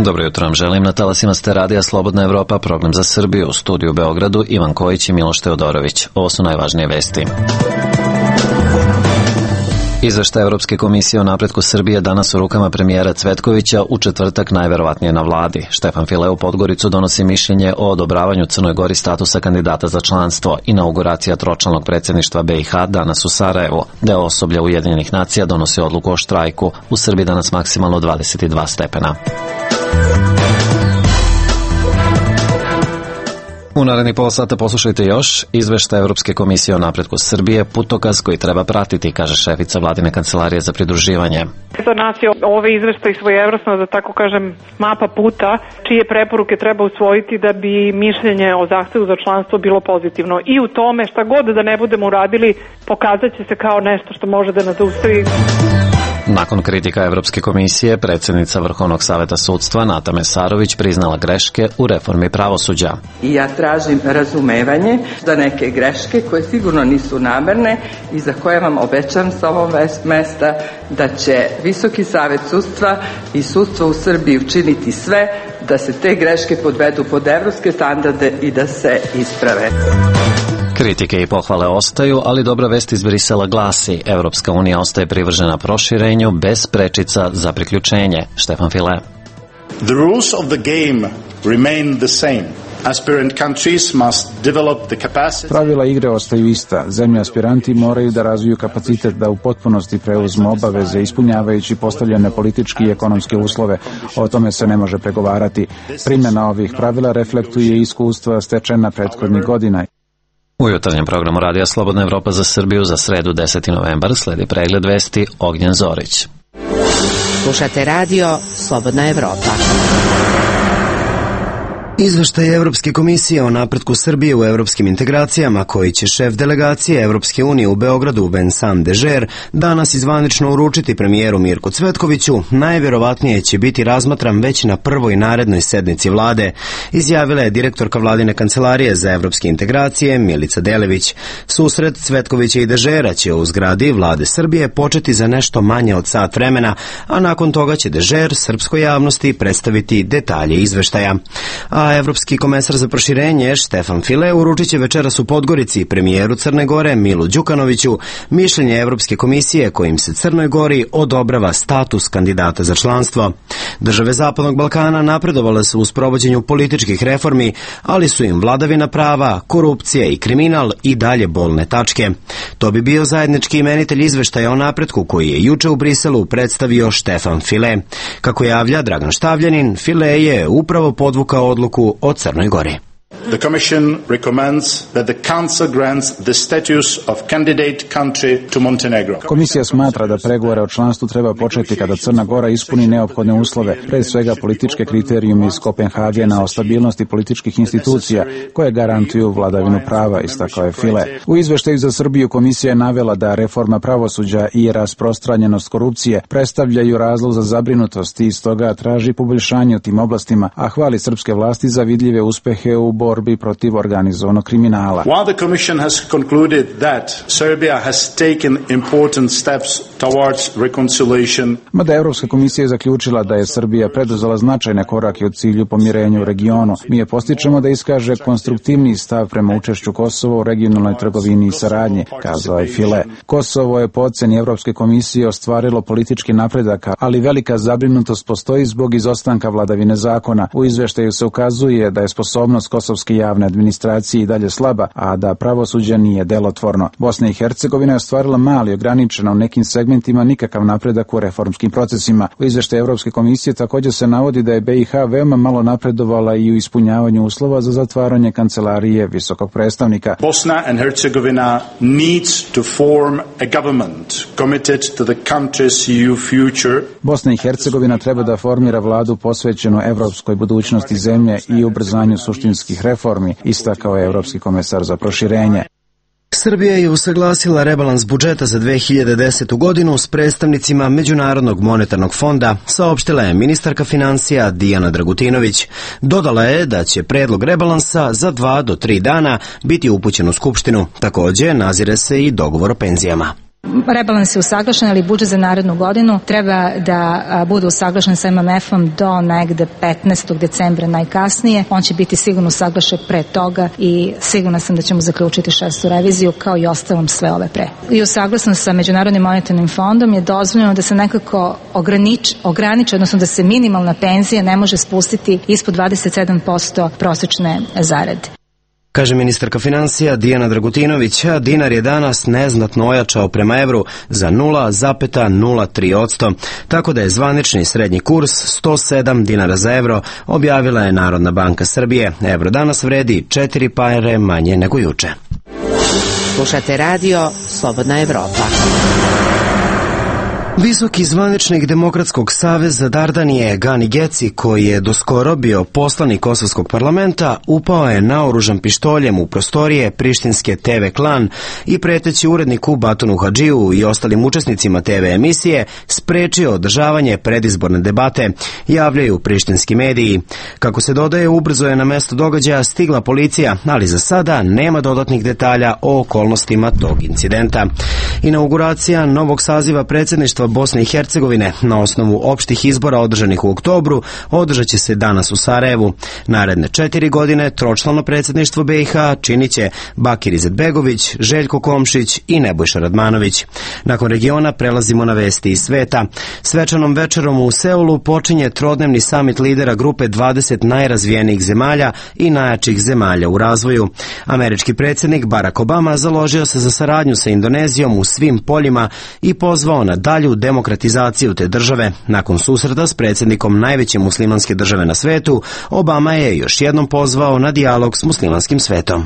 Dobro jutro vam želim. Na talasima ste radija Slobodna Evropa, program za Srbiju, u studiju u Beogradu, Ivan Kojić i Miloš Teodorović. Ovo su najvažnije vesti. Izveštaj Evropske komisije o napretku Srbije danas u rukama premijera Cvetkovića, u četvrtak najverovatnije na vladi. Štefan File u Podgoricu donosi mišljenje o odobravanju Crnoj Gori statusa kandidata za članstvo. Inauguracija tročlanog predsjedništva BiH danas u Sarajevu. Deo osoblja Ujedinjenih nacija donosi odluku o štrajku. U Srbiji danas maksimalno 22 stepena. U narednih pola sata poslušajte još izveštaj Evropske komisije o napretku Srbije, putokaz koji treba pratiti, kaže šefica vladine kancelarije za pridruživanje. Za nas je ovaj izveštaj svojevrsno, da tako kažem, mapa puta, čije preporuke treba usvojiti da bi mišljenje o zahtevu za članstvo bilo pozitivno. I u tome šta god da ne budemo uradili, pokazat će se kao nešto što može da nas zaustavi. Nakon kritika Evropske komisije, predsjednica Vrhovnog saveta sudstva Nata Mesarović priznala greške u reformi pravosuđa. I ja tražim razumevanje za neke greške koje sigurno nisu namerne i za koje vam obećam sa ovog mesta da će Visoki savet sudstva i sudstvo u Srbiji učiniti sve da se te greške podvedu pod evropske standarde i da se isprave. Kritike i pohvale ostaju, ali dobra vest iz Brisela glasi: Evropska unija ostaje privržena proširenju bez prečica za priključenje. Štefan File. The rules of the game remain the same. Aspirant countries must develop the capacity. Pravila igre ostaju ista. Zemlje aspiranti moraju da razviju kapacitet da u potpunosti preuzmu obaveze ispunjavajući postavljene politički i ekonomske uslove. O tome se ne može pregovarati. Primjena ovih pravila reflektuje iskustva stečena prethodnih godina. U jutarnjem programu Radija Slobodna Evropa za Srbiju za sredu 10. novembar sledi pregled vesti Ognjen Zorić. Slušate radio Slobodna Evropa. Izveštaj Evropske komisije o napretku Srbije u evropskim integracijama, koji će šef delegacije Evropske unije u Beogradu Vincent Dežer danas izvanično uručiti premijeru Mirku Cvetkoviću, najverovatnije će biti razmatran već na prvoj narednoj sednici vlade, izjavila je direktorka vladine kancelarije za evropske integracije Milica Delević. Susret Cvetkovića i Dežera će u zgradi vlade Srbije početi za nešto manje od sat vremena, a nakon toga će Dežer srpskoj javnosti predstaviti detalje izveštaja. A evropski komesar za proširenje Štefan File uručit će večeras u Podgorici premijeru Crne Gore Milu Đukanoviću mišljenje Evropske komisije kojim se Crnoj Gori odobrava status kandidata za članstvo. Države Zapadnog Balkana napredovale su u sprovođenju političkih reformi, ali su im vladavina prava, korupcija i kriminal i dalje bolne tačke. To bi bio zajednički imenitelj izveštaja o napretku koji je juče u Briselu predstavio Štefan File. Kako javlja Dragan Štavljanin, File je upravo podvukao odluku o Crnoj Gori. The Commission recommends that the Council grants the status of candidate country to Montenegro. Komisija smatra da pregovore o članstvu treba početi kada Crna Gora ispuni neophodne uslove, pre svega političke kriterijume iz Kopenhagena o stabilnosti političkih institucija koje garantuju vladavinu prava, istakao je File. U izveštaju za Srbiju komisija je navela da reforma pravosuđa i rasprostranjenost korupcije predstavljaju razlog za zabrinutost i stoga traži poboljšanje u tim oblastima, a hvali srpske vlasti za vidljive uspehe u borbi protiv organizovanog kriminala. While the Commission has concluded that Serbia has taken important steps towards reconciliation. Mada Evropska komisija je zaključila da je Srbija preduzela značajne korake u cilju pomirenja u regionu, mi je postičemo da iskaže konstruktivniji stav prema učešću Kosova u regionalnoj trgovini i saradnji, kazao je File. Kosovo je po oceni Evropske komisije ostvarilo politički napredak, ali velika zabrinutost postoji zbog izostanka vladavine zakona. U izveštaju se ukazuje da je sposobnost kosovske javne administracije i dalje slaba, a da pravosuđe nije delotvorno. Bosna i Hercegovina je ostvarila mali, ograničeno u nekim segmentima nikakav napredak u reformskim procesima. U izveštaju Evropske komisije također se navodi da je BiH veoma malo napredovala i u ispunjavanju uslova za zatvaranje kancelarije visokog predstavnika. Bosna and Herzegovina needs to form a government committed to the country's EU future. Bosna i Hercegovina treba da formira vladu posvećenu evropskoj budućnosti zemlje i ubrzanju suštinskih reformi, istakao je Evropski komesar za proširenje. Srbija je usaglasila rebalans budžeta za 2010. godinu s predstavnicima Međunarodnog monetarnog fonda, saopštila je ministarka financija Dijana Dragutinović. Dodala je da će predlog rebalansa za 2 do 3 dana biti upućen u Skupštinu. Takođe, nazire se i dogovor o penzijama. Rebalans je usaglašen, ali budžet za narednu godinu treba da bude usaglašen sa MMF-om do negde 15. decembra najkasnije. On će biti sigurno usaglašen pre toga i sigurna sam da ćemo zaključiti 6. reviziju kao i ostalom sve ove pre. I usaglašen sa Međunarodnim monetarnim fondom je dozvoljeno da se nekako ograniči, odnosno da se minimalna penzija ne može spustiti ispod 27% prosečne zarade. Kaže ministarka financija Dijana Dragutinović, a dinar je danas neznatno ojačao prema evru za 0,03%, tako da je zvanični srednji kurs 107 dinara za evro, objavila je Narodna banka Srbije. Evro danas vredi 4 pare manje nego juče. Slušate radio Slobodna Evropa. Visoki zvaničnik Demokratskog saveza Dardanije Gani Geci, koji je doskoro bio poslanik Kosovskog parlamenta, upao je naoružan pištoljem u prostorije prištinske TV Klan i preteći uredniku Batunu Hadžiju i ostalim učesnicima TV emisije sprečio održavanje predizborne debate, javljaju prištinski mediji. Kako se dodaje, ubrzo je na mesto događaja stigla policija, ali za sada nema dodatnih detalja o okolnostima tog incidenta. Inauguracija novog saziva predsjedništva Bosne i Hercegovine na osnovu opštih izbora održanih u oktobru održat će se danas u Sarajevu. Naredne 4 godine tročlano predsjedništvo BiH činit će Bakir Izetbegović, Željko Komšić i Nebojša Radmanović. Nakon regiona prelazimo na vesti iz sveta. Svečanom večerom u Seulu počinje trodnevni samit lidera grupe 20 najrazvijenijih zemalja i najjačih zemalja u razvoju. Američki predsjednik Barack Obama založio se za saradnju sa Indonezijom u svim poljima i pozvao na dalju demokratizaciju te države. Nakon susreta s predsjednikom najveće muslimanske države na svetu, Obama je još jednom pozvao na dijalog s muslimanskim svetom.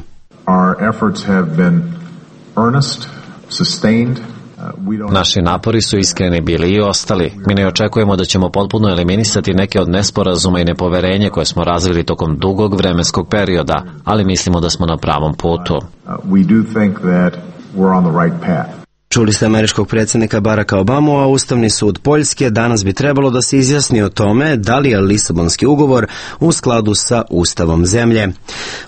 Naši napori su iskreni bili i ostali. Mi ne očekujemo da ćemo potpuno eliminisati neke od nesporazuma i nepoverenja koje smo razvili tokom dugog vremenskog perioda, ali mislimo da smo na pravom putu. Čuli ste američkog predsjednika Baracka Obamu, a Ustavni sud Poljske danas bi trebalo da se izjasni o tome da li je Lisabonski ugovor u skladu sa Ustavom zemlje.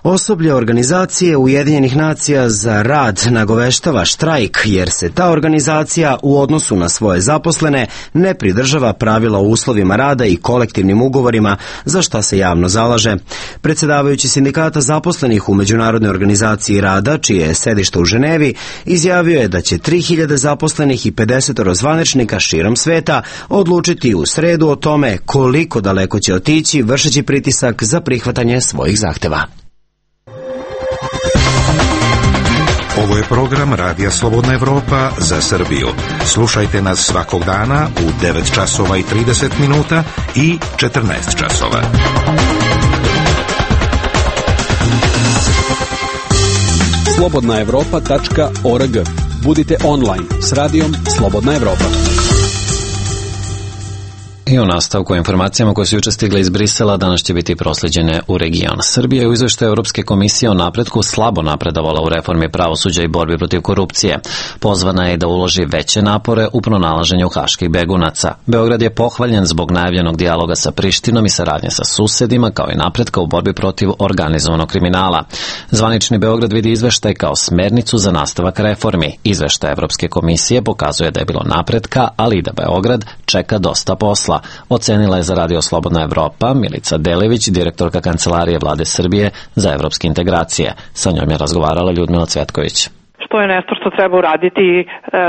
Osoblje organizacije Ujedinjenih nacija za rad nagoveštava štrajk, jer se ta organizacija u odnosu na svoje zaposlene ne pridržava pravila o uslovima rada i kolektivnim ugovorima, za šta se javno zalaže. Predsjedavajući sindikata zaposlenih u Međunarodnoj organizaciji rada, čije je sedište u Ženevi, izjavio je da će 3000 zaposlenih i 50 zvaničnika širom sveta odlučiti u sredu o tome koliko daleko će otići, vršeći pritisak za prihvatanje svojih zahteva. Ovo je program Radija Slobodna Evropa za Srbiju. Slušajte nas svakog dana u 9 časova i 30 minuta i 14 časova. slobodnaevropa.org. Budite online s radijom Slobodna Evropa. I u nastavku informacijama koje su juče stigle iz Brisela, danas će biti prosleđene u region. Srbija je u izveštaju Europske komisije o napretku slabo napredovala u reformi pravosuđa i borbi protiv korupcije. Pozvana je da uloži veće napore u pronalaženju haških begunaca. Beograd je pohvaljen zbog najavljenog dijaloga sa Prištinom i saradnje sa susedima, kao i napretka u borbi protiv organizovanog kriminala. Zvanični Beograd vidi izveštaj kao smernicu za nastavak reformi. Izveštaj Europske komisije pokazuje da je bilo napretka, ali i da Beograd čeka dosta posla. Ocenila je za Radio Slobodna Evropa Milica Delević, direktorka Kancelarije Vlade Srbije za evropske integracije. Sa njom je razgovarala Ljudmila Cvetković. Što je nešto što treba uraditi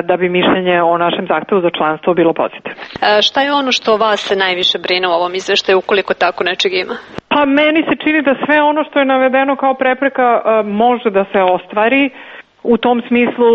da bi mišljenje o našem zahtevu za članstvo bilo pozitivno. Šta je ono što vas se najviše brine u ovom izveštaju, ukoliko tako nečeg ima? Pa meni se čini da sve ono što je navedeno kao prepreka može da se ostvari. U tom smislu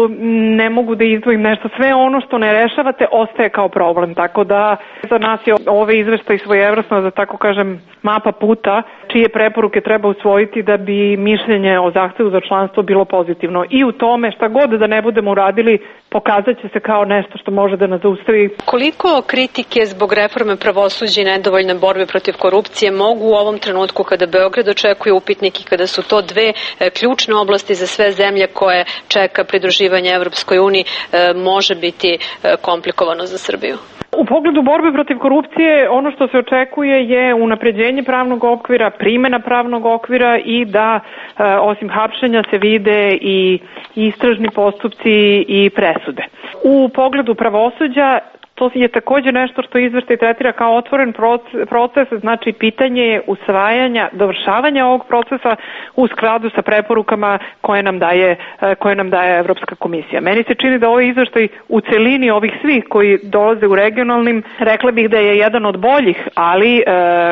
ne mogu da izdvojim nešto. Sve ono što ne rešavate ostaje kao problem. Tako da za nas je ovaj izveštaj svojevrsno, da tako kažem, mapa puta. čije preporuke treba usvojiti da bi mišljenje o zahtevu za članstvo bilo pozitivno. I u tome šta god da ne budemo uradili, pokazat će se kao nešto što može da nas zaustavi. Koliko kritike zbog reforme pravosuđa i nedovoljne borbe protiv korupcije mogu u ovom trenutku kada Beograd očekuje upitnik i kada su to dve ključne oblasti za sve zemlje koje čeka pridruživanje Evropskoj uniji, može biti komplikovano za Srbiju? U pogledu borbe protiv korupcije, ono što se očekuje je unapređenje pravnog okvira, primena pravnog okvira i da osim hapšenja se vide i istražni postupci i presude. U pogledu pravosuđa, to je također nešto što izveštaj tretira kao otvoren proces, znači pitanje je usvajanja, dovršavanja ovog procesa u skladu sa preporukama koje nam daje Evropska komisija. Meni se čini da ovaj izveštaj u celini ovih svih koji dolaze u regionalnim, rekla bih da je jedan od boljih, ali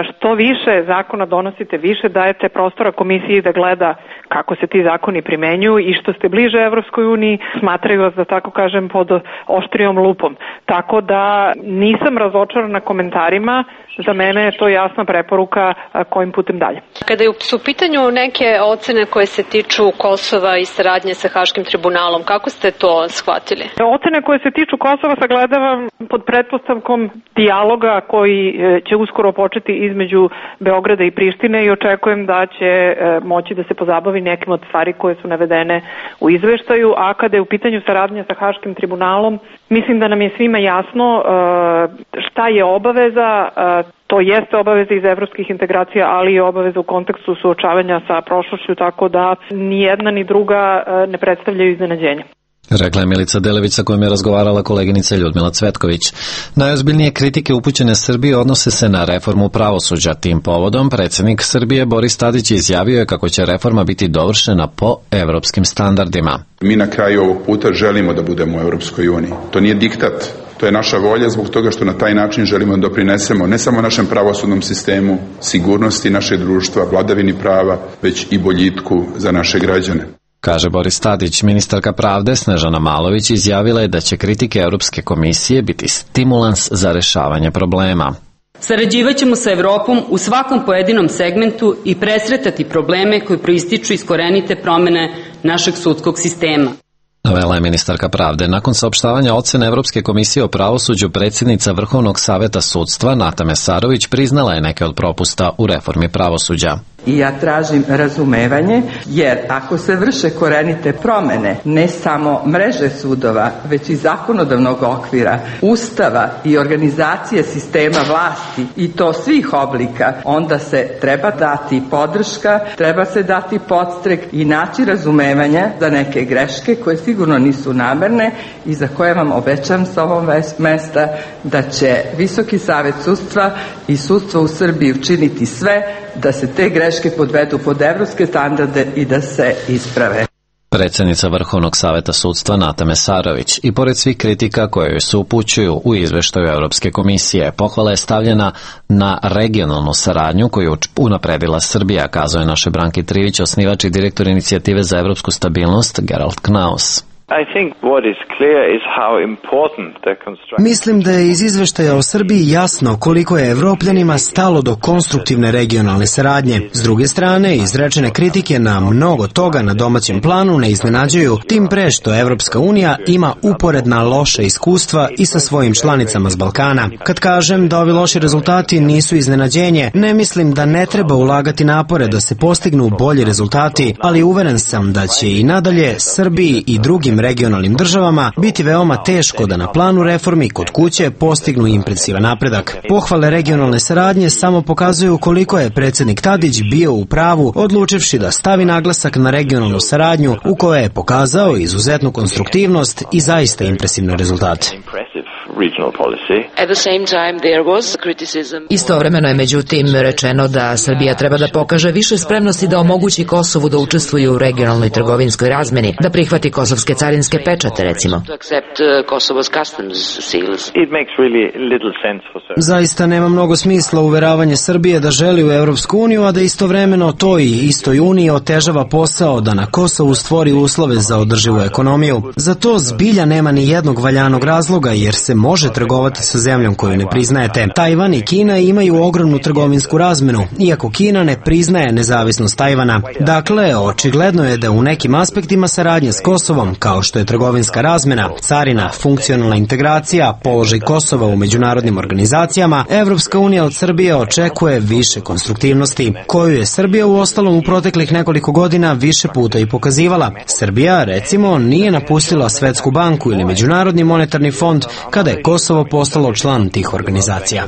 što više zakona donosite, više dajete prostora komisiji da gleda kako se ti zakoni primenjuju i što ste bliže Evropskoj uniji, smatraju vas, da tako kažem, pod oštrijom lupom. Tako da nisam razočarana komentarima, za mene je to jasna preporuka kojim putem dalje. Kada su u pitanju neke ocene koje se tiču Kosova i saradnje sa Haškim tribunalom, kako ste to shvatili? Ocene koje se tiču Kosova sagledavam pod pretpostavkom dijaloga koji će uskoro početi između Beograda i Prištine i očekujem da će moći da se pozabavi nekim od stvari koje su navedene u izveštaju, a kada je u pitanju saradnja sa Haškim tribunalom, mislim da nam je svima jasno šta je obaveza. To jeste obaveza iz evropskih integracija, ali i obaveza u kontekstu suočavanja sa prošlošću, tako da ni jedna ni druga ne predstavljaju iznenađenje. Rekla je Milica Delević sa kojom je razgovarala koleginica Ljudmila Cvetković. Najozbiljnije kritike upućene Srbiji odnose se na reformu pravosuđa. Tim povodom predsjednik Srbije Boris Tadić izjavio je kako će reforma biti dovršena po evropskim standardima. Mi na kraju ovog puta želimo da budemo u Evropskoj uniji. To nije diktat. To je naša volja zbog toga što na taj način želimo da doprinesemo ne samo našem pravosudnom sistemu, sigurnosti našeg društva, vladavini prava, već i boljitku za naše građane. Kaže Boris Tadić. Ministarka pravde Snežana Malović izjavila je da će kritike Europske komisije biti stimulans za rešavanje problema. Sarađivaćemo sa Evropom u svakom pojedinom segmentu i presretati probleme koji proističu iz korenite promene našeg sudskog sistema. Navela je ministarka pravde. Nakon saopštavanja ocene Evropske komisije o pravosuđu, predsjednica Vrhovnog saveta sudstva Nata Mesarović priznala je neke od propusta u reformi pravosuđa. I ja tražim razumevanje, jer ako se vrše korenite promene, ne samo mreže sudova, već i zakonodavnog okvira, ustava i organizacije sistema vlasti, i to svih oblika, onda se treba dati podrška, treba se dati podstrek i naći razumevanja za neke greške koje sigurno nisu namerne i za koje vam obećam sa ovog mesta da će Visoki savet sudstva i sudstvo u Srbiji učiniti sve da se te greške podvedu pod evropske standarde i da se isprave. Predsjednica Vrhovnog saveta sudstva Nata Mesarović i pored svih kritika koje joj se upućuju u izveštaju Europske komisije, pohvala je stavljena na regionalnu saradnju koju unapredila Srbija, kazao je naše Branki Trivić, osnivač i direktor inicijative za evropsku stabilnost Gerald Knaus. Mislim da je iz izveštaja o Srbiji jasno koliko je Evropljanima stalo do konstruktivne regionalne saradnje. S druge strane, izrečene kritike na mnogo toga na domaćem planu ne iznenađuju, tim pre što Evropska unija ima uporedna loša iskustva i sa svojim članicama s Balkana. Kad kažem da ovi loši rezultati nisu iznenađenje, ne mislim da ne treba ulagati napore da se postignu bolji rezultati, ali uveren sam da će i nadalje Srbiji i drugim regionalnim državama biti veoma teško da na planu reformi kod kuće postignu impresivan napredak. Pohvale regionalne saradnje samo pokazuju koliko je predsjednik Tadić bio u pravu, odlučivši da stavi naglasak na regionalnu saradnju u kojoj je pokazao izuzetnu konstruktivnost i zaista impresivne rezultate. Istovremeno je međutim rečeno da Srbija treba da pokaže više spremnosti da omogući Kosovu da učestvuje u regionalnoj trgovinskoj razmeni, da prihvati kosovske carinske pečate, recimo. Zaista nema mnogo smisla uveravanje Srbije da želi u Evropsku uniju, a da istovremeno toj istoj uniji otežava posao da na Kosovu stvori uslove za održivu ekonomiju. Za to zbilja nema ni jednog valjanog razloga, jer se može trgovati sa zemljom koju ne priznajete. Tajvan i Kina imaju ogromnu trgovinsku razmenu, iako Kina ne priznaje nezavisnost Tajvana. Dakle, očigledno je da u nekim aspektima saradnje s Kosovom, kao što je trgovinska razmena, carina, funkcionalna integracija, položaj Kosova u međunarodnim organizacijama, Evropska unija od Srbije očekuje više konstruktivnosti, koju je Srbija uostalom u proteklih nekoliko godina više puta i pokazivala. Srbija, recimo, nije napustila Svetsku banku ili Međunarodni monetarni fond kada je Kosovo postalo član tih organizacija.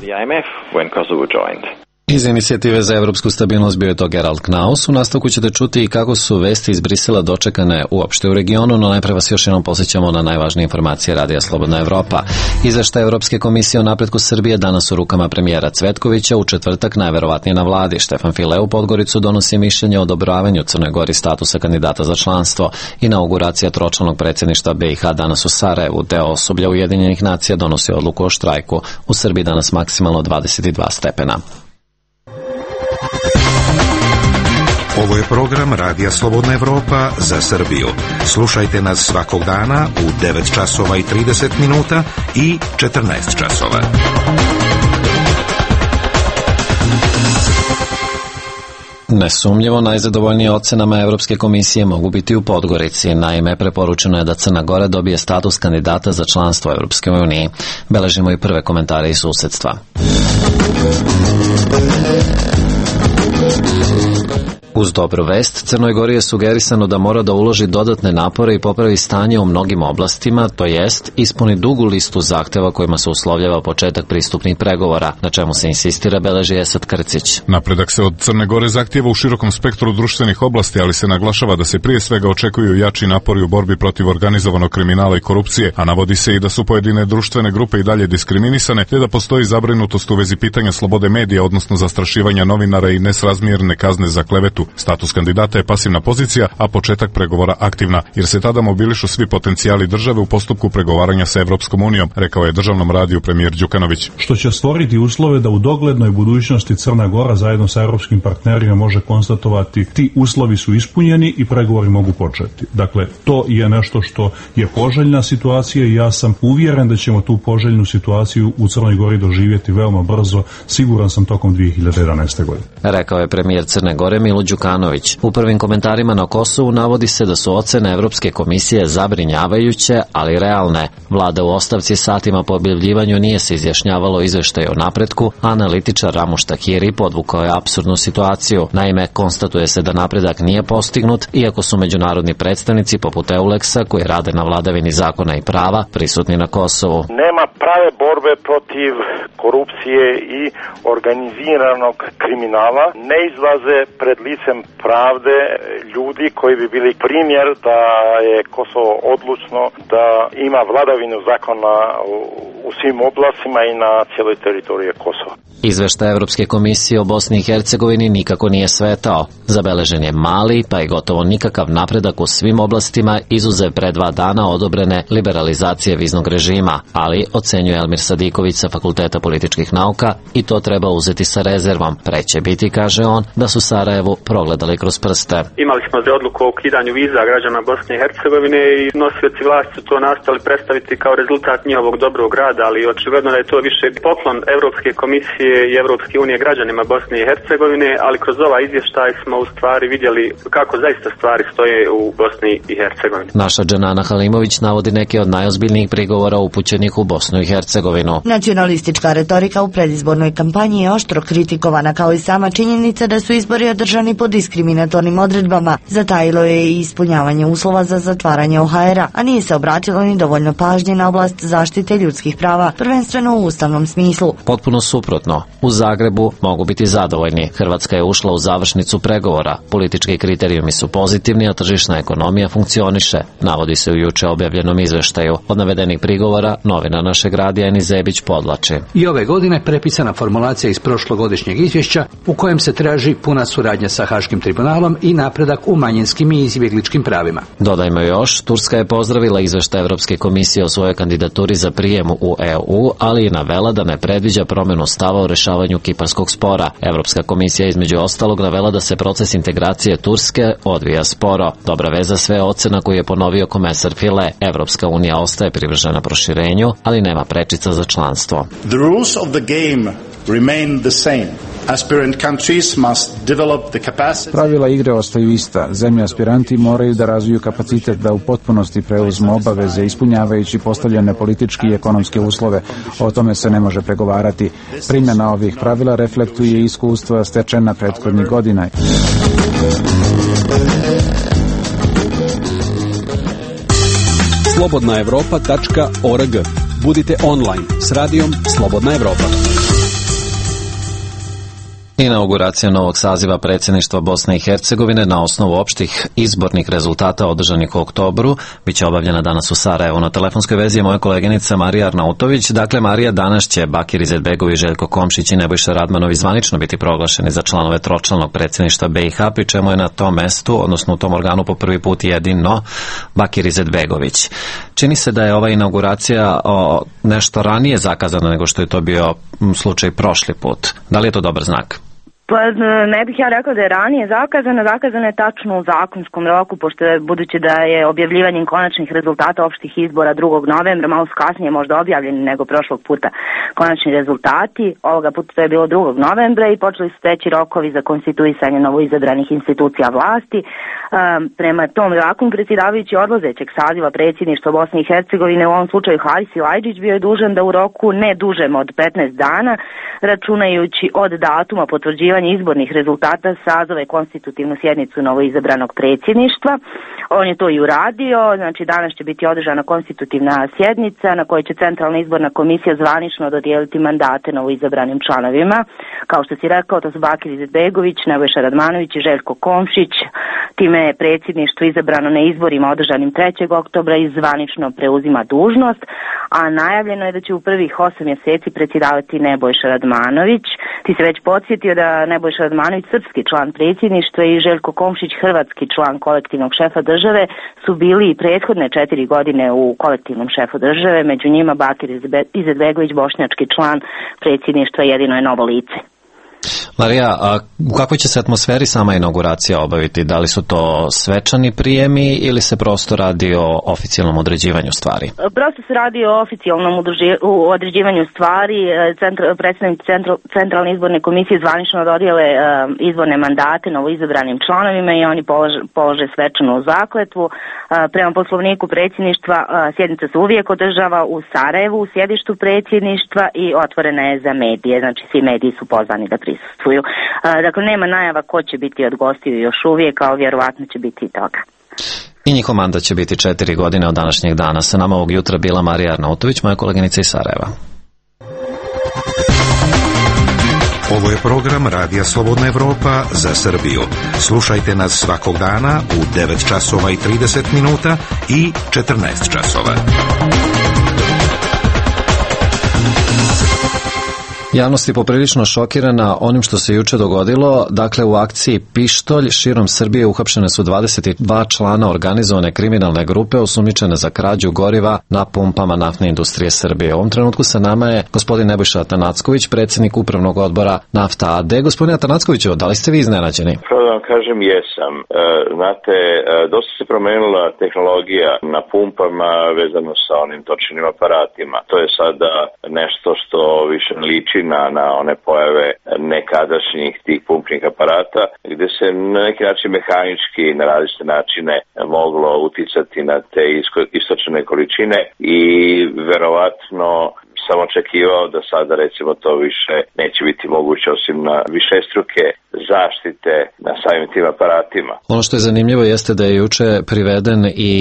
Iz inicijative za evropsku stabilnost bio je to Gerald Knaus. U nastavku ćete čuti i kako su vesti iz Brisela dočekane uopšte u regionu, no najpre vas još jednom posjećamo na najvažnije informacije Radija Slobodna Evropa. Izveštaj Evropske komisije o napretku Srbije danas u rukama premijera Cvetkovića, u četvrtak najverovatnije na vladi. Štefan File u Podgoricu donosi mišljenje o odobravanju Crnoj Gori statusa kandidata za članstvo. Inauguracija tročlanog predsjedništva BiH danas u Sarajevu. Deo osoblja Ujedinjenih nacija donosi odluku o štrajku. U Srbiji danas maksimalno 22 stepena. Ovo je program Radija Slobodna Evropa za Srbiju. Slušajte nas svakog dana u 9 časova i 30 minuta i 14 časova. Nesumnjivo najzadovoljnije ocenama Evropske komisije mogu biti u Podgorici. Naime, preporučeno je da Crna Gora dobije status kandidata za članstvo Evropske unije. Beležimo i prve komentare iz susedstva. Uz dobru vest, Crnoj Gori je sugerisano da mora da uloži dodatne napore i popravi stanje u mnogim oblastima, to jest ispuni dugu listu zahteva kojima se uslovljava početak pristupnih pregovora, na čemu se insistira, beleži Esad Krcić. Napredak se od Crne Gore zahtjeva u širokom spektru društvenih oblasti, ali se naglašava da se prije svega očekuju jači napori u borbi protiv organizovanog kriminala i korupcije, a navodi se i da su pojedine društvene grupe i dalje diskriminisane, te da postoji zabrinutost u vezi pitanja slobode medija, odnosno zastrašivanja novinara i nesrazmjerne kazne za klevetu. Status kandidata je pasivna pozicija, a početak pregovora aktivna, jer se tada mobilišu svi potencijali države u postupku pregovaranja sa Evropskom unijom, rekao je državnom radiju premijer Đukanović. Što će stvoriti uslove da u doglednoj budućnosti Crna Gora zajedno sa europskim partnerima može konstatovati ti uslovi su ispunjeni i pregovori mogu početi. Dakle, to je nešto što je poželjna situacija i ja sam uvjeren da ćemo tu poželjnu situaciju u Crnoj Gori doživjeti veoma brzo, siguran sam tokom 2011. godine. Rekao je premijer Crne Gore Milo Đukanović. U prvim komentarima na Kosovu navodi se da su ocene Evropske komisije zabrinjavajuće, ali realne. Vlada u ostavci satima po objavljivanju nije se izjašnjavalo izveštaj o napretku, a analitičar Ramuš Tahiri podvukao je apsurdnu situaciju. Naime, konstatuje se da napredak nije postignut, iako su međunarodni predstavnici poput Euleksa, koji rade na vladavini zakona i prava, prisutni na Kosovu. Nema prave borbe protiv korupcije i organiziranog kriminala. Ne izlaze pred licem pravde ljudi koji bi bili primjer da je Kosovo odlučno da ima vladavinu zakona u svim oblastima i na cijeloj teritoriji Kosova. Izveštaj Evropske komisije o Bosni i Hercegovini nikako nije svetao. Zabeležen je mali, pa i gotovo nikakav napredak u svim oblastima, izuzev pre 2 dana odobrene liberalizacije viznog režima, ali, ocenjuje Elmir Sadiković sa Fakulteta političkih nauka, i to treba uzeti sa rezervom. Pre će biti, kaže on, da su Sarajevu progledali kroz prste. Imali smo odluku o ukidanju viza građana Bosne i Hercegovine i nosioci vlasti su to nastali predstaviti kao rezultat njihovog dobrog rada, ali očigledno da je to više poklon Evropske komisije i Evropske unije građanima Bosne i Hercegovine, ali kroz ovaj izvještaj smo u stvari vidjeli kako zaista stvari stoje u Bosni i Hercegovini. Naša Dženana Halimović navodi neke od najozbiljnijih prigovora upućenih u Bosnu i Hercegovinu. Nacionalistička retorika u predizbornoj kampanji je oštro kritikovana, kao i sama činjenica da su izbori održani po diskriminatornim odredbama. Zatajilo je i ispunjavanje uslova za zatvaranje OHR-a, a nije se obratilo ni dovoljno pažnje na oblast zaštite ljudskih prava, prvenstveno u ustavnom smislu. Potpuno suprotno. U Zagrebu mogu biti zadovoljni. Hrvatska je ušla u završnicu pregovora. Politički kriterijumi su pozitivni, a tržišna ekonomija funkcioniše, navodi se u juče objavljenom izveštaju. Od navedenih prigovora novina našeg radija Eni Zebić podvlači. I ove godine prepisana formulacija iz prošlogodišnjeg izvješća u kojem se traži puna suradnja sa Haškim tribunalom i napredak u manjinskim i izbjegličkim pravima. Dodajmo još, Turska je pozdravila izveštaj Evropske komisije o svojoj kandidaturi za prijem u u EU, ali i navela da ne predviđa promjenu stava o rešavanju kiparskog spora. Evropska komisija između ostalog navela da se proces integracije Turske odvija sporo. Dobra veza sve ocena koju je ponovio komesar File. Evropska unija ostaje privržena proširenju, ali nema prečica za članstvo. The rules of the game remain the same. Aspirant countries must develop the capacity. Pravila igre ostaju ista. Zemlje aspiranti moraju da razviju kapacitet da u potpunosti preuzmu obaveze ispunjavajući postavljene politički i ekonomske uslove. O tome se ne može pregovarati. Primjena ovih pravila reflektuje iskustva stečena prethodnih godina. slobodnaevropa.org. Budite online s radijom Slobodna Evropa. Inauguracija novog saziva predsjedništva Bosne i Hercegovine na osnovu opštih izbornih rezultata održanih u oktobru biće obavljena danas u Sarajevu. Na telefonskoj vezi je moja koleginica Marija Arnautović. Dakle, Marija, danas će Bakir Izetbegović, Željko Komšić i Nebojša Radmanović zvanično biti proglašeni za članove tročlanog predsjedništva BiH, pri čemu je na tom mestu, odnosno u tom organu po prvi put jedino Bakir Izetbegović. Čini se da je ova inauguracija nešto ranije zakazana nego što je to bio slučaj prošli put. Da li je to dobar znak? Pa ne bih ja rekao da je ranije zakazana je tačno u zakonskom roku, pošto je, budući da je objavljivanjem konačnih rezultata opštih izbora 2. novembra, malo kasnije možda objavljeni nego prošlog puta konačni rezultati, ovoga puta to je bilo 2. novembra i počeli su teći rokovi za konstituisanje novoizabranih institucija vlasti. Prema tom zakonu predsjedavajući odlazećeg saziva predsjedništva Bosne i Hercegovine, u ovom slučaju Haris Ilajđić, bio je dužan da u roku ne dužem od 15 dana, računajući od datuma potvrđivanja izbornih rezultata, sazove konstitutivnu sjednicu novoizabranog predsjedništva. On je to i uradio, znači danas će biti održana konstitutivna sjednica na kojoj će Centralna izborna komisija zvanično dodijeliti mandate novoizabranim članovima. Kao što si rekao, to su Bakir Izetbegović, Nebojša Radmanović i Željko Komšić. Time je predsjedništvo izabrano na izborima održanim 3. oktobra i zvanično preuzima dužnost, a najavljeno je da će u prvih 8 mjeseci predsjedavati Nebojša Radmanović. Ti se već podsjetio da Nebojša Radmanović, srpski član predsjedništva, i Željko Komšić, hrvatski član kolektivnog šefa države, su bili i prethodne 4 godine u kolektivnom šefu države, među njima Bakir Izetbegović, bošnjački član predsjedništva, jedino je novo lice. Marija, a u kakvoj će se atmosferi sama inauguracija obaviti? Da li su to svečani prijemi ili se prosto radi o oficijalnom određivanju stvari? Prosto se radi o oficijalnom određivanju stvari. Predstavnici Centralne izborne komisije zvanično dodijele izborne mandate novoizabranim članovima i oni polože svečanu zakletvu. Prema poslovniku predsjedništva sjednica se uvijek održava u Sarajevu, u sjedištu predsjedništva, i otvorena je za medije. Znači svi mediji su pozvani da prisustvuju. Dakle, nema najava ko će biti od gostiju još uvijek, a vjerovatno će biti i toga. I njihov mandat će biti 4 godine od današnjeg dana. Sa nama ovog jutra bila Marija Arnautović, moja koleginica iz Sarajeva. Ovo je program Radija Slobodna Evropa za Srbiju. Slušajte nas svakog dana u 9 časova i 30 minuta i 14 časova. Javnost je poprilično šokirana onim što se juče dogodilo. Dakle, u akciji Pištolj širom Srbije uhapšene su 22 člana organizovane kriminalne grupe osumnjičene za krađu goriva na pumpama naftne industrije Srbije. U ovom trenutku sa nama je gospodin Nebojša Atanacković, predsjednik upravnog odbora Nafta AD. Gospodine Atanackoviću, da li ste vi iznenađeni? Prvo da vam kažem, jesam. Znate, dosta se promenila tehnologija na pumpama vezano sa onim točnim aparatima. To je sada nešto što više liči na one pojave nekadašnjih tih pumpnih aparata, gde se na neki način mehanički na različite načine moglo uticati na te istočne količine i verovatno sam očekivao da sada recimo to više neće biti moguće osim na višestruke zaštite na samim tim aparatima. Ono što je zanimljivo jeste da je juče priveden i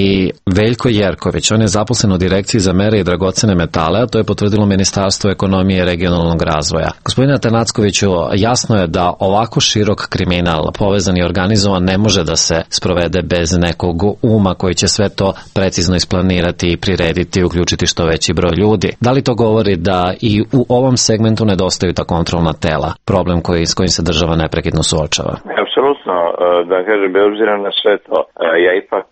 Veljko Jerković. On je zaposlen u Direkciji za mere i dragocene metale, a to je potvrdilo Ministarstvo ekonomije i regionalnog razvoja. Gospodine Atanackoviću, jasno je da ovako širok kriminal, povezan i organizovan, ne može da se sprovede bez nekog uma koji će sve to precizno isplanirati i prirediti i uključiti što veći broj ljudi. Da li to govori da i u ovom segmentu nedostaju ta kontrolna tela, problem s kojim se država neprekidno suočava? apsolutno, da kažem, bez obzira na sve to, ja ipak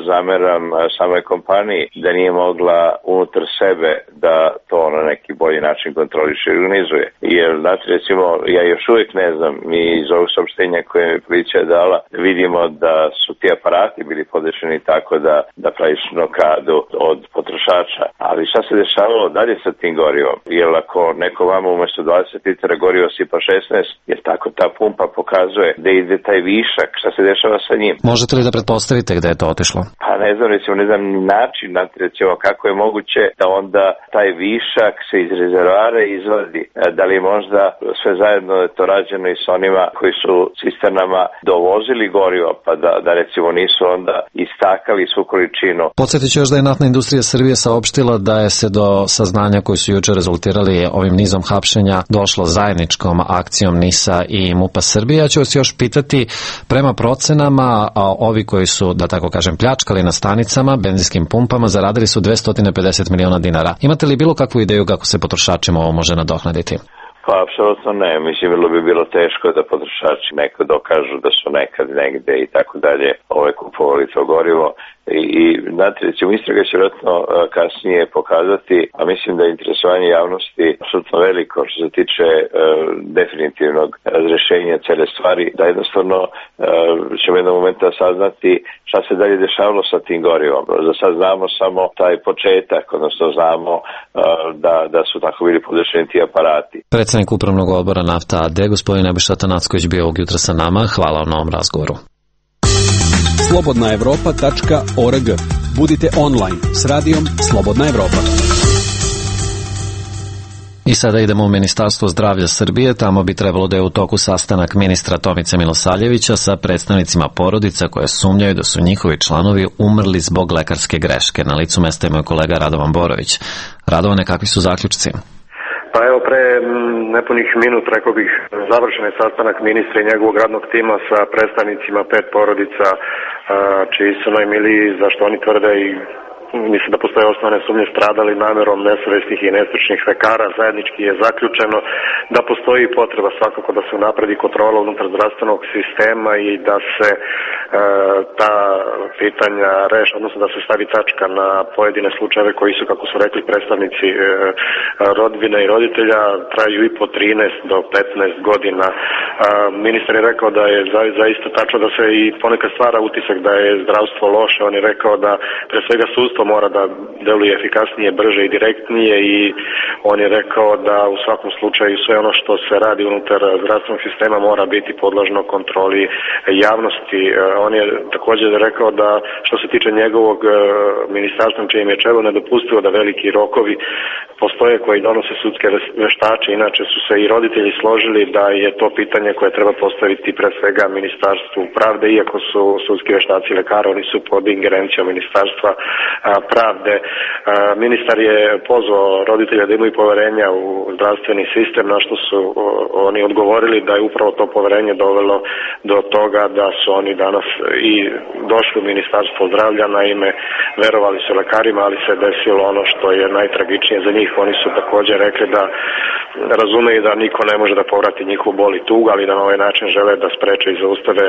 zameram samoj kompaniji da nije mogla unutar sebe da to na neki bolji način kontroliše i organizuje. Jer, znate, recimo, ja još uvijek ne znam, mi iz ovog saopštenja koje mi policija je dala, vidimo da su ti aparati bili podešeni tako da praktično kradu od potrošača. Ali šta se dešavalo dalje sa tim gorivom? Jer ako neko vama umesto 20 litara goriva sipa 16, jer tako ta pumpa pokazuje da ide taj višak, šta se dešava sa njim? Možete li da pretpostavite gde je to otišlo? Pa ne znam, recimo, ne znam način, recimo, kako je moguće da onda taj višak se iz rezervoara izvadi. Da li možda sve zajedno je to rađeno i s onima koji su cisternama dovozili gorivo, pa da recimo nisu onda istakali svu količinu. Podsjetit ću još da je Naftna industrija Srbije saopštila da je se do saznanja koji su juče rezultirali ovim nizom hapšenja došlo zajedničkom akcijom NIS-a i MUP-a Srbije. Ja ću vas još pitati, prema procenama, ovi koji su, da tako kažem, pljačkali na stanicama, benzinskim pumpama, zaradili su 250 miliona dinara. Imate li bilo kakvu ideju kako se potrošačima ovo može nadoknaditi? Pa, apsolutno ne. Mislim, bi bilo teško da potrošači neko dokažu da su nekad negde i tako dalje kupovali to gorivo. I znate, recimo, istraga će vjerojatno kasnije pokazati, a mislim da je interesovanje javnosti apsolutno veliko što se tiče definitivnog razrešenja cele stvari, da jednostavno ćemo jednog momenta saznati šta se dalje dešavalo sa tim gorivom. Za sad znamo samo taj početak, odnosno znamo da su tako bili podešeni ti aparati. Predsednik Upravnog odbora Nafta AD, gospodin Nebojša Atanacković, bio ovog jutra sa nama. Hvala vam na ovom razgovoru. slobodnaevropa.org. Budite online s radijom Slobodna Evropa. I sada idemo u Ministarstvo zdravlja Srbije. Tamo bi trebalo da je u toku sastanak ministra Tomice Milosavljevića sa predstavnicima porodica koje sumnjaju da su njihovi članovi umrli zbog lekarske greške. Na licu mesta je moj kolega Radovan Borović. Radovane, kakvi su zaključci? Pa evo, pre nepunih minut, rekao bih, završen je sastanak ministra i njegovog radnog tima sa predstavnicima 5 porodica čiji su najmiliji, zašto oni tvrde i mislim da postoje osnovne sumnje stradali namerom nesavesnih i nestručnih lekara. Zajednički je zaključeno da postoji potreba svakako da se unapredi kontrola unutar zdravstvenog sistema i da se ta pitanja reše, odnosno da se stavi tačka na pojedine slučajeve koji su, kako su rekli predstavnici rodbine i roditelja, traju i po 13 do 15 godina. Ministar je rekao da je zaista tačno da se i ponekad stvara utisak da je zdravstvo loše. On je rekao da pre svega sudstvo mora da deluje efikasnije, brže i direktnije i on je rekao da u svakom slučaju sve ono što se radi unutar zdravstvenog sistema mora biti podložno kontroli javnosti. On je također rekao da što se tiče njegovog ministarstva čijim je čelo nedopustivo da veliki rokovi postoje koji donose sudske veštače. Inače su se i roditelji složili da je to pitanje koje treba postaviti pre svega Ministarstvu pravde, iako su sudski veštaci lekara, oni su pod ingerencijom Ministarstva pravde. Ministar je pozvao roditelja da imaju poverenja u zdravstveni sistem, na što su oni odgovorili da je upravo to poverenje dovelo do toga da su oni danas i došli u Ministarstvo zdravlja. Naime, verovali su lekarima, ali se desilo ono što je najtragičnije za njih. Oni su također rekli da razumeju da niko ne može da povrati njihovu bol i tugu, ali da na ovaj način žele da spreče i zaustave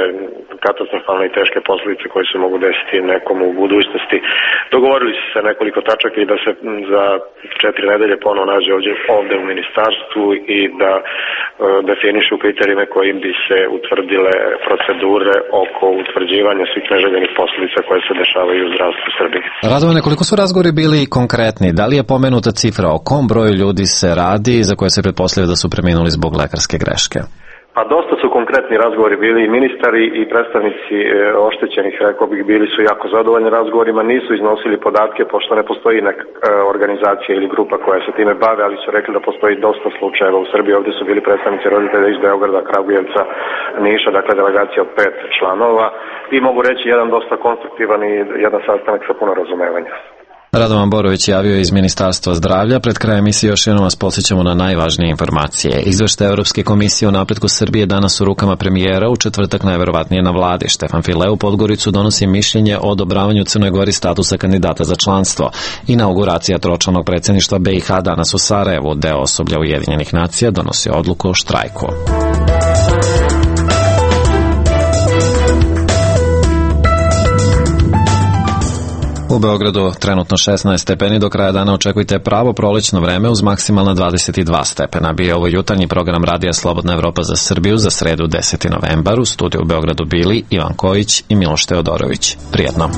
katastrofalne i teške posljedice koje se mogu desiti nekomu u budućnosti. Dogovorili su se nekoliko tačaka i da se za 4 nedelje ponovo nađe ovde u ministarstvu i da definišu kriterijume kojim bi se utvrdile procedure oko utvrđivanja svih neželjenih posljedica koje se dešavaju u zdravstvu Srbije. Radovane, koliko su razgovori bili konkretni? Da li je pomenuta cifra o kom broju ljudi se radi za koje se pretpostavlja da su preminuli zbog lekarske greške? Pa dosta su konkretni razgovori bili i ministari i predstavnici oštećenih, rekao bih, bili su jako zadovoljni razgovorima, nisu iznosili podatke pošto ne postoji neka organizacija ili grupa koja se time bave, ali su rekli da postoji dosta slučajeva u Srbiji. Ovdje su bili predstavnici roditelja iz Beograda, Kragujevca, Niša, dakle delegacija od 5 članova i mogu reći jedan dosta konstruktivan i jedan sastanak sa puno razumevanja. Radovan Borović javio iz Ministarstva zdravlja. Pred krajem emisije još jednom vas podsjećamo na najvažnije informacije. Izveštaj Evropske komisije o napretku Srbije danas u rukama premijera, u četvrtak najverovatnije na vladi. Štefan File u Podgoricu donosi mišljenje o odobravanju Crnoj Gori statusa kandidata za članstvo. Inauguracija tročlanog predsjedništva BiH danas u Sarajevu. Deo osoblja Ujedinjenih nacija donosi odluku o štrajku. U Beogradu trenutno 16 stepeni, do kraja dana očekujte pravo prolećno vreme uz maksimalna 22 stepena. Bio ovo jutarnji program Radija Slobodna Evropa za Srbiju za sredu 10. novembar. U studiju u Beogradu bili Ivan Kojić i Miloš Teodorović. Prijetno.